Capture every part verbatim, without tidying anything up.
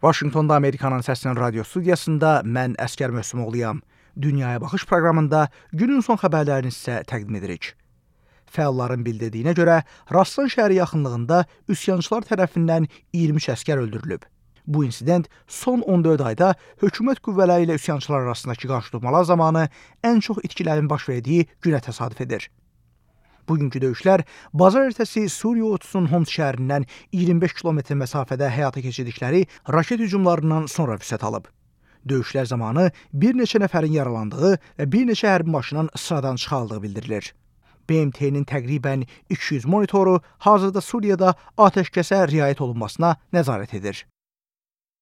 Vaşinqtonda Amerikanın Səsinin radio studiyasında mən Əskər Möhsümoğluyam. Dünyaya Baxış proqramında günün son xəbərlərini sizə təqdim edirik. Fəalların bildirdiyinə görə, Raslan şəhəri yaxınlığında üsyançılar tərəfindən iyirmi üç əskər öldürülüb. Bu insident son on dörd ayda hökumət qüvvələri ilə üsyançılar arasındakı qarşıdurmalar zamanı ən çox itkilərin baş verdiyi günə təsadüf edir. Bugünkü döyüşlər bazar ertəsi Suriya ordusunun Homs şəhərindən iyirmi beş kilometr məsafədə həyata keçirdikləri raket hücumlarından sonra vüsət alıb. Döyüşlər zamanı bir neçə nəfərin yaralandığı və bir neçə hərbi maşının sıradan çıxarıldığı bildirilir. B M T'nin təqribən iki yüz monitoru hazırda Suriyada atəşkəsə riayət olunmasına nəzarət edir.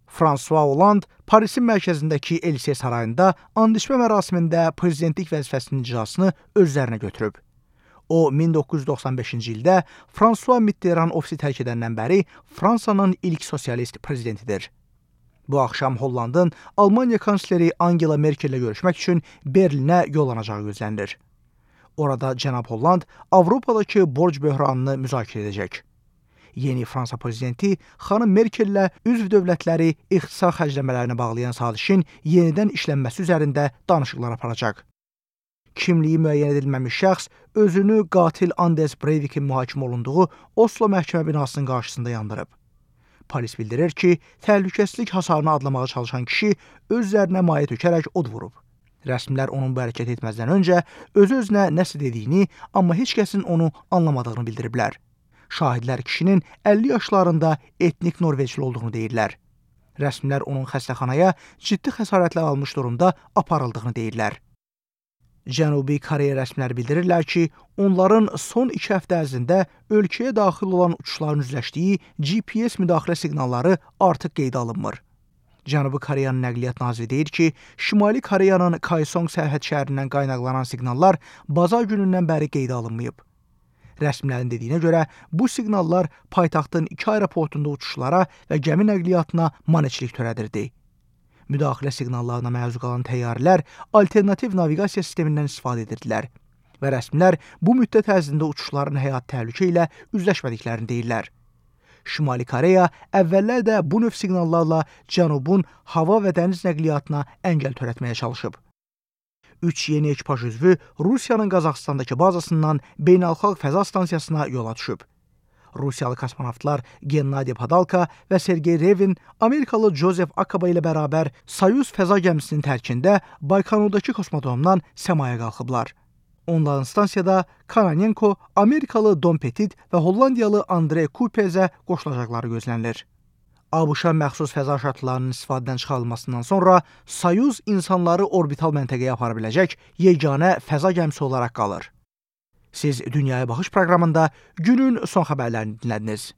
François Hollande Parisin mərkəzindəki Elysee sarayında and içmə mərasimində prezidentlik vəzifəsinin icrasını öz üzərinə götürüb. O, min doqquz yüz doxsan beşinci ildə François Mitterrand ofisi tərk edəndən bəri Fransanın ilk sosialist prezidentidir. Bu axşam Hollandın Almaniya kansleri Angela Merkel ilə görüşmək üçün Berlinə yollanacağı gözlənilir. Orada cənab Holland Avropadakı borc böhranını müzakirə edəcək. Yeni Fransa prezidenti xanım Merkel ilə üzv dövlətləri ixtisar xərcləmələrini bağlayan sazişin yenidən işlənməsi üzərində danışıqlar aparacaq. Kimliyi müəyyən edilməmiş şəxs özünü qatil Anders Breivikin mühakimə olunduğu Oslo məhkəmə binasının qarşısında yandırıb. Polis bildirir ki, təhlükəsizlik hasarını adlamağa çalışan kişi öz üzərinə maye tökərək od vurub. Rəsmilər onun bu hərəkət etməzdən öncə öz-özünə nəsə dediyini, amma heç kəsin onu anlamadığını bildiriblər. Şahidlər kişinin əlli yaşlarında etnik Norveçli olduğunu deyirlər. Rəsmilər onun xəstəxanaya ciddi xəsarətlər almış durumda aparıldığını deyirlər. Cənubi Koreya rəsmiləri bildirirlər ki, onların son iki həftə ərzində ölkəyə daxil olan uçuşların üzləşdiyi G P S müdaxilə siqnalları artıq qeydə alınmır. Cənubi Koreyanın nəqliyyat naziri deyir ki, Şimali Koreyanın Kaesong sərhəd şəhərindən qaynaqlanan siqnallar bazar günündən bəri qeydə alınmayıb. Rəsmilərin dediyinə görə, bu siqnallar paytaxtın iki aeroportunda uçuşlara və gəmi nəqliyyatına maneçilik törədirdi. Müdaxilə siqnallarına məruz qalan təyyarələr alternativ naviqasiya sistemindən istifadə edirdilər və rəsmilər bu müddət ərzində uçuşların həyat təhlükə ilə üzləşmədiklərini deyirlər. Şimali Koreya əvvəllər də bu növ siqnallarla Cənubun hava və dəniz nəqliyyatına əngəl törətməyə çalışıb. Üç yeni ekipaj üzvü Rusiyanın Qazaxıstandakı bazasından beynəlxalq fəza stansiyasına yola düşüb. Rusiyalı kosmonavtlar Gennady Padalka və Sergey Revin Amerikalı Joseph Akaba ilə bərabər Soyuz fəza gəmisinin tərkində Baykonurdakı kosmodromdan səmaya qalxıblar. Onların stansiyada Kononenko, Amerikalı Don Petit və Hollandiyalı Andrey Kupezə qoşulacaqları gözlənilir. ABŞ-a məxsus fəza şatlarının istifadədən çıxarılmasından sonra Soyuz insanları orbital məntəqəyə apara biləcək yeganə fəza gəmisi olaraq qalır. Siz Dünyaya Baxış proqramında günün son xəbərlərini dinlədiniz.